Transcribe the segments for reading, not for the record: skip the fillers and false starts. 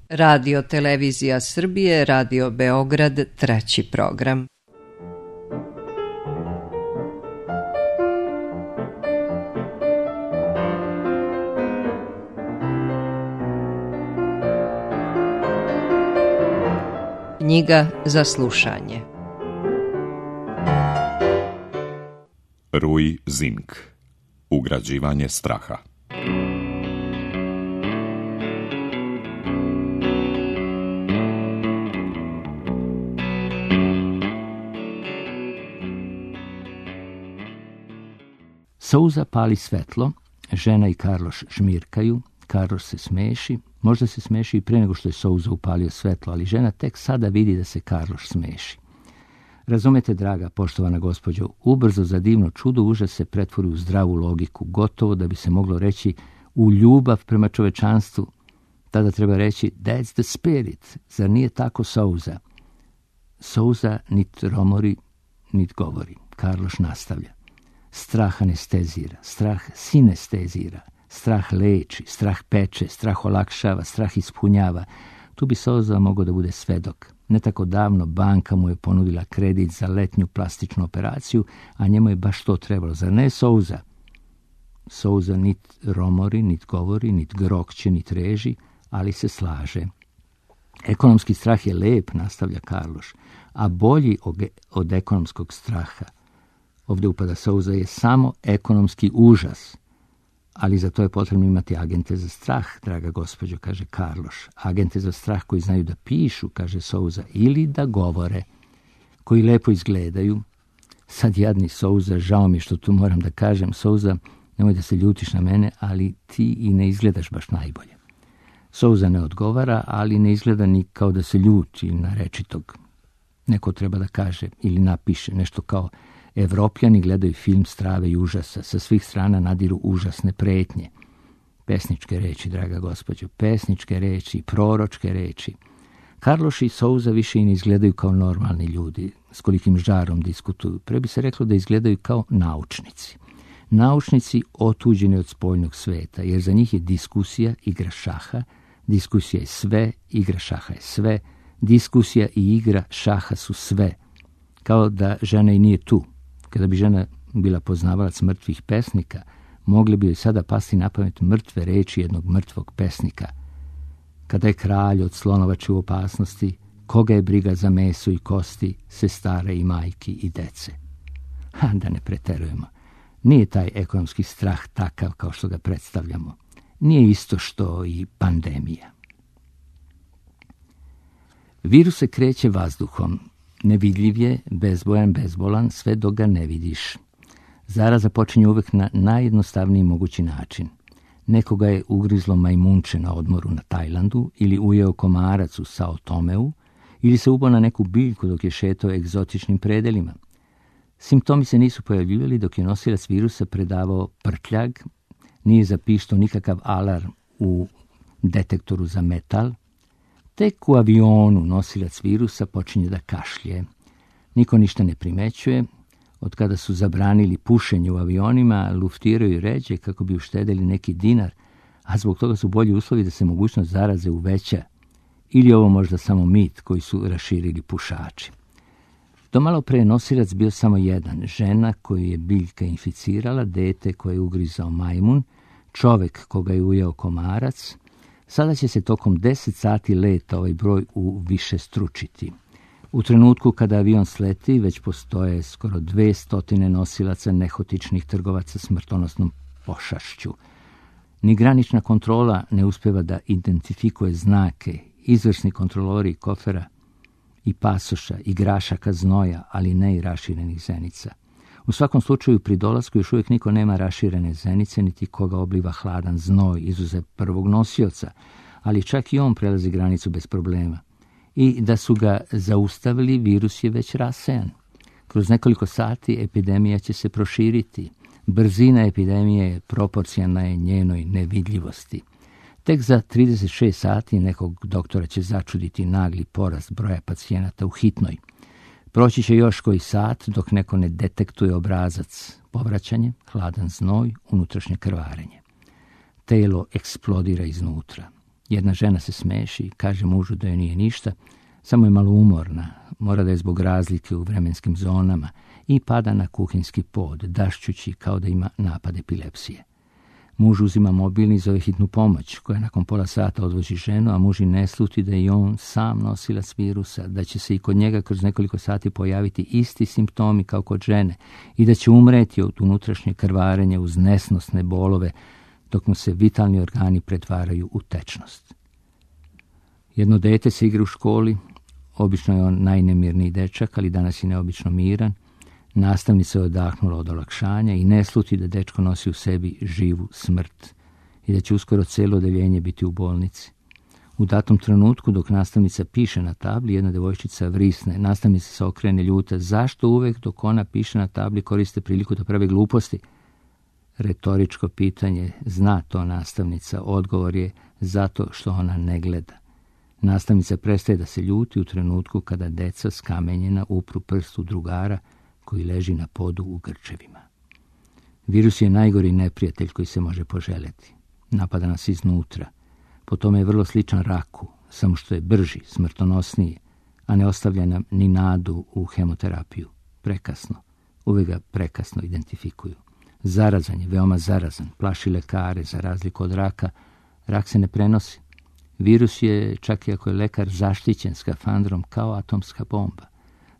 Radio Televizija Srbije, Radio Beograd, treći program. Knjiga za slušanje. Rui Zink. Ugrađivanje straha. Souza pali svetlo, žena i Karloš žmirkaju, Karloš se smeši, možda se smeši i pre nego što je Souza upalio svetlo, ali žena tek sada vidi da se Karloš smeši. Razumete, draga, poštovana gospođo, ubrzo za divno čudo užas se pretvori u zdravu logiku, gotovo da bi se moglo reći u ljubav prema čovečanstvu. Tada treba reći, that's the spirit, zar nije tako, Souza? Souza nit romori, nit govori. Karloš nastavlja. Strah anestezira, strah sinestezira, strah leči, strah peče, strah olakšava, strah ispunjava. Tu bi Souza mogao da bude svedok. Ne tako davno banka mu je ponudila kredit za letnju plastičnu operaciju, a njemu je baš to trebalo. Zar ne, Souza? Souza nit romori, nit govori, nit grokće, nit reži, ali se slaže. Ekonomski strah je lep, nastavlja Karloš, a bolji od ekonomskog straha. Ovdje upada Souza je samo ekonomski užas, ali za to je potrebno imati agente za strah, draga gospođo, kaže Karloš. Agente za strah koji znaju da pišu, kaže Souza, ili da govore, koji lepo izgledaju. Sad jadni Souza, žao mi što tu moram da kažem, Souza, nemoj da se ljutiš na mene, ali ti i ne izgledaš baš najbolje. Souza ne odgovara, ali ne izgleda ni kao da se ljuti na rečitog. Neko treba da kaže ili napiše nešto kao: Evropljani gledaju film strave i užasa, sa svih strana nadiru užasne pretnje. Pesničke reči, draga gospođo, pesničke reči, proročke reči. Karloš i Souza više i ne izgledaju kao normalni ljudi, s kolikim žarom diskutuju. Pre bi se reklo da izgledaju kao naučnici. Naučnici otuđeni od spoljnog sveta, jer za njih je diskusija igra šaha, diskusija je sve, igra šaha je sve, diskusija i igra šaha su sve. Kao da žena i nije tu. Kada bi žena bila poznavalac mrtvih pesnika, mogli bi joj sada pasti na pamet mrtve reči jednog mrtvog pesnika. Kada je kralj od slonovače u opasnosti, koga je briga za meso i kosti, sestara i majki i dece. Da ne preterujemo. Nije taj ekonomski strah takav kao što ga predstavljamo. Nije isto što i pandemija. Virus se kreće vazduhom. Nevidljiv je, bezbojan, bezbolan, sve dok ga ne vidiš. Zaraza počinje uvek na najjednostavniji mogući način. Nekoga je ugrizlo majmunče na odmoru na Tajlandu, ili ujeo komarac u Sao Tomeu, ili se ubao na neku biljku dok je šetao egzotičnim predelima. Simptomi se nisu pojavljivali dok je nosilac virusa predavao prtljag, nije zapištao nikakav alarm u detektoru za metal. Tek u avionu nosilac virusa počinje da kašlje. Niko ništa ne primećuje. Od kada su zabranili pušenje u avionima, luftiraju ređe kako bi uštedeli neki dinar, a zbog toga su bolji uslovi da se mogućnost zaraze uveća. Ili ovo možda samo mit koji su raširili pušači. Do malo pre nosilac bio samo jedan, žena koju je biljka inficirala, dete koje je ugrizao majmun, čovek koga je ujeo komarac. Sada će se tokom 10 sati leta ovaj broj uvišestručiti. U trenutku kada avion sleti, već postoje skoro 200 nosilaca nehotičnih trgovaca smrtonosnom pošašću. Ni granična kontrola ne uspeva da identifikuje znake, izvrsni kontrolori kofera i pasoša, i grašaka znoja, ali ne i raširenih zenica. U svakom slučaju, pri dolasku još uvijek niko nema raširene zenice, niti koga obliva hladan znoj, izuzev prvog nosioca, ali čak i on prelazi granicu bez problema. I da su ga zaustavili, virus je već rasejan. Kroz nekoliko sati epidemija će se proširiti. Brzina epidemije je proporcionalna je njenoj nevidljivosti. Tek za 36 sati nekog doktora će začuditi nagli porast broja pacijenata u hitnoj. Proći će još koji sat dok neko ne detektuje obrazac, povraćanje, hladan znoj, unutrašnje krvarenje. Telo eksplodira iznutra. Jedna žena se smeši, kaže mužu da joj nije ništa, samo je malo umorna, mora da je zbog razlike u vremenskim zonama i pada na kuhinjski pod, dašćući kao da ima napad epilepsije. Muž uzima mobilni i zove hitnu pomoć, koja nakon pola sata odvozi ženu, a muž i ne sluti da je on sam nosilac virusa, da će se i kod njega kroz nekoliko sati pojaviti isti simptomi kao kod žene i da će umreti od unutrašnje krvarenja uz nesnosne bolove, dok mu se vitalni organi pretvaraju u tečnost. Jedno dete se igra u školi, obično je on najnemirniji dečak, ali danas je neobično miran. Nastavnica je odahnula od olakšanja i ne sluti da dečko nosi u sebi živu smrt i da će uskoro cijelo odeljenje biti u bolnici. U datom trenutku, dok nastavnica piše na tabli, jedna devojčica vrisne. Nastavnica se okrene ljuta. Zašto uvek dok ona piše na tabli koriste priliku da prave gluposti? Retoričko pitanje, zna to nastavnica. Odgovor je zato što ona ne gleda. Nastavnica prestaje da se ljuti u trenutku kada deca skamenjena upru prst u drugara koji leži na podu u grčevima. Virus je najgori neprijatelj koji se može poželjeti. Napada nas iznutra. Po tome je vrlo sličan raku, samo što je brži, smrtonosniji, a ne ostavlja nam ni nadu u hemoterapiju. Prekasno. Uvijek ga prekasno identifikuju. Zarazan je, veoma zarazan. Plaši lekare, za razliku od raka. Rak se ne prenosi. Virus je, čak i ako je lekar zaštićen skafandrom, kao atomska bomba.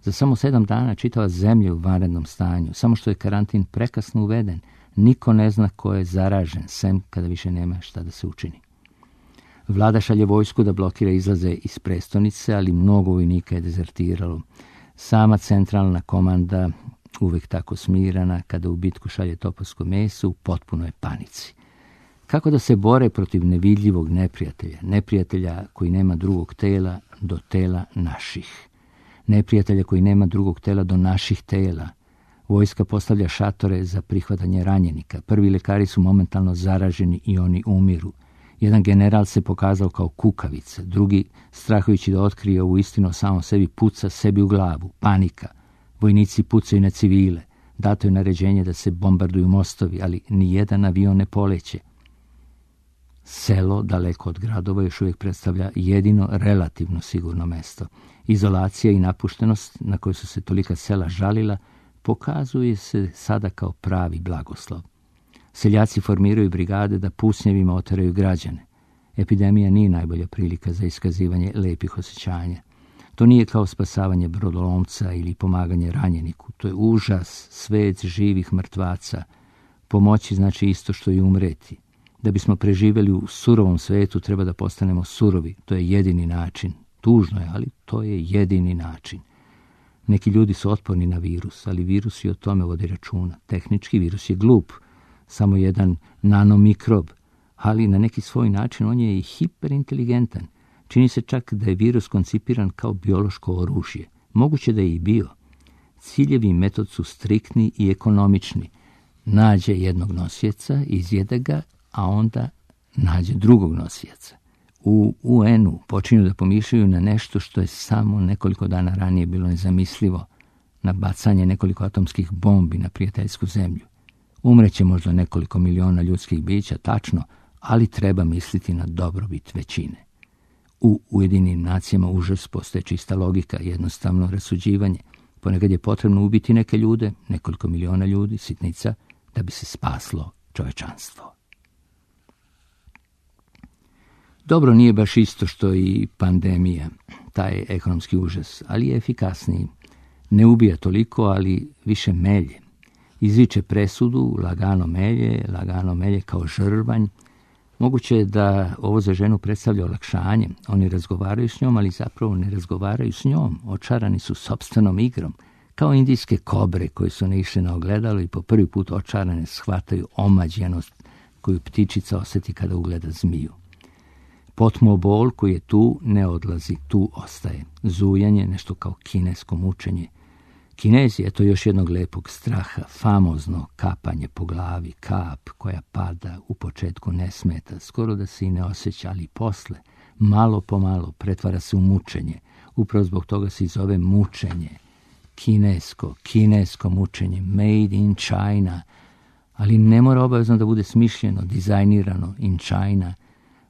Za samo 7 dana čitava zemlja u vanrednom stanju. Samo što je karantin prekasno uveden, niko ne zna ko je zaražen, sem kada više nema šta da se učini. Vlada šalje vojsku da blokira izlaze iz prestonice, ali mnogo vojnika je dezertiralo. Sama centralna komanda, uvek tako smirana, kada u bitku šalje topovsko meso, u potpunoj panici. Kako da se bore protiv nevidljivog neprijatelja, neprijatelja koji nema drugog tela do tela naših, neprijatelja koji nema drugog tela do naših tela? Vojska postavlja šatore za prihvatanje ranjenika. Prvi lekari su momentalno zaraženi i oni umiru. Jedan general se pokazao kao kukavica, drugi, strahujući da otkrije ovu istinu samo sebi, puca sebi u glavu. Panika. Vojnici pucaju na civile. Dato je naređenje da se bombarduju mostovi, ali ni jedan avion ne poleće. Selo, daleko od gradova, još uvijek predstavlja jedino relativno sigurno mesto. Izolacija i napuštenost, na koju su se tolika sela žalila, pokazuje se sada kao pravi blagoslov. Seljaci formiraju brigade da pucnjevima oteraju građane. Epidemija nije najbolja prilika za iskazivanje lepih osjećanja. To nije kao spasavanje brodolomca ili pomaganje ranjeniku. To je užas, svet živih mrtvaca. Pomoći znači isto što i umreti. Da bismo preživjeli u surovom svetu, treba da postanemo surovi. To je jedini način. Tužno je, ali to je jedini način. Neki ljudi su otporni na virus, ali virus i o tome vodi računa. Tehnički virus je glup, samo jedan nanomikrob, ali na neki svoj način on je i hiperinteligentan. Čini se čak da je virus koncipiran kao biološko oružje. Moguće da je i bio. Ciljevi i metod su striktni i ekonomični. Nađe jednog nosioca, izjede ga, a onda nađe drugog nosioca. U UN-u počinju da pomišljaju na nešto što je samo nekoliko dana ranije bilo nezamislivo, na bacanje nekoliko atomskih bombi na prijateljsku zemlju. Umreće možda nekoliko miliona ljudskih bića, tačno, ali treba misliti na dobrobit većine. U Ujedinjenim nacijama užas postaje čista logika, jednostavno rasuđivanje. Ponekad je potrebno ubiti neke ljude, nekoliko miliona ljudi, sitnica, da bi se spaslo čovečanstvo. Dobro, nije baš isto što i pandemija, taj ekonomski užas, ali je efikasniji. Ne ubija toliko, ali više melje. Izviče presudu, lagano melje kao žrvanj. Moguće je da ovo za ženu predstavlja olakšanje. Oni razgovaraju s njom, ali zapravo ne razgovaraju s njom. Očarani su sopstvenom igrom. Kao indijske kobre koje su ne išle na ogledalo i po prvi put očarane shvataju omađenost koju ptičica osjeti kada ugleda zmiju. Potmo bol koji je tu ne odlazi, tu ostaje. Zujanje, nešto kao kinesko mučenje. Kinezi, eto još jednog lepog straha, famozno kapanje po glavi, kap koja pada, u početku ne smeta, skoro da se i ne osjeća, ali posle, malo po malo, pretvara se u mučenje. Upravo zbog toga se i zove mučenje. Kinesko mučenje, made in China, ali ne mora obavezno da bude smišljeno, dizajnirano in China.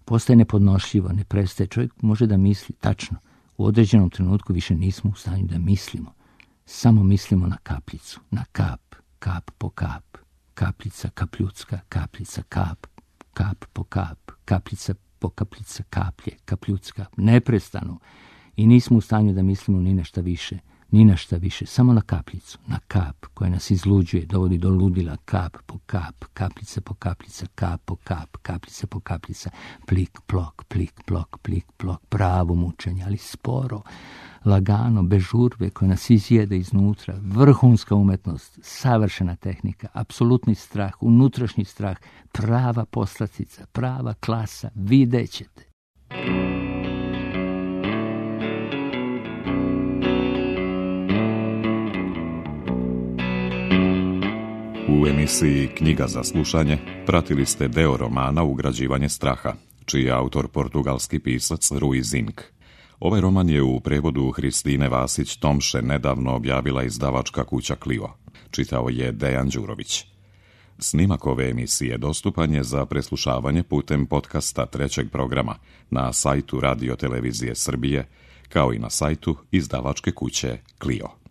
Postaje nepodnošljivo, ne prestaje. Čovjek može da misli tačno. U određenom trenutku više nismo u stanju da mislimo. Samo mislimo na kapljicu, na kap, kap po kap, kapljica, kapljutska, kapljica, kap, kap po kap, kapljica po kapljica, kaplje, kapljutska, neprestano. I nismo u stanju da mislimo ni na šta više, samo na kapljicu, na kap koja nas izluđuje, dovodi do ludila, kap po kap, kapljica po kapljica, kap po kap, kapljica po kapljica, plik, plok, plik, plok, plik, plok, pravo mučenje, ali sporo, lagano, bez žurbe, koja nas izjede iznutra, vrhunska umetnost, savršena tehnika, apsolutni strah, unutrašnji strah, prava poslastica, prava klasa, vidjet ćete. U emisiji Knjiga za slušanje pratili ste deo romana Ugrađivanje straha, čiji je autor portugalski pisac Rui Zinck. Ovaj roman je u prevodu Hristine Vasić-Tomše nedavno objavila izdavačka kuća Clio. Čitao je Dejan Đurović. Snimak ove emisije dostupan je za preslušavanje putem podcasta trećeg programa na sajtu Radio Televizije Srbije, kao i na sajtu izdavačke kuće Clio.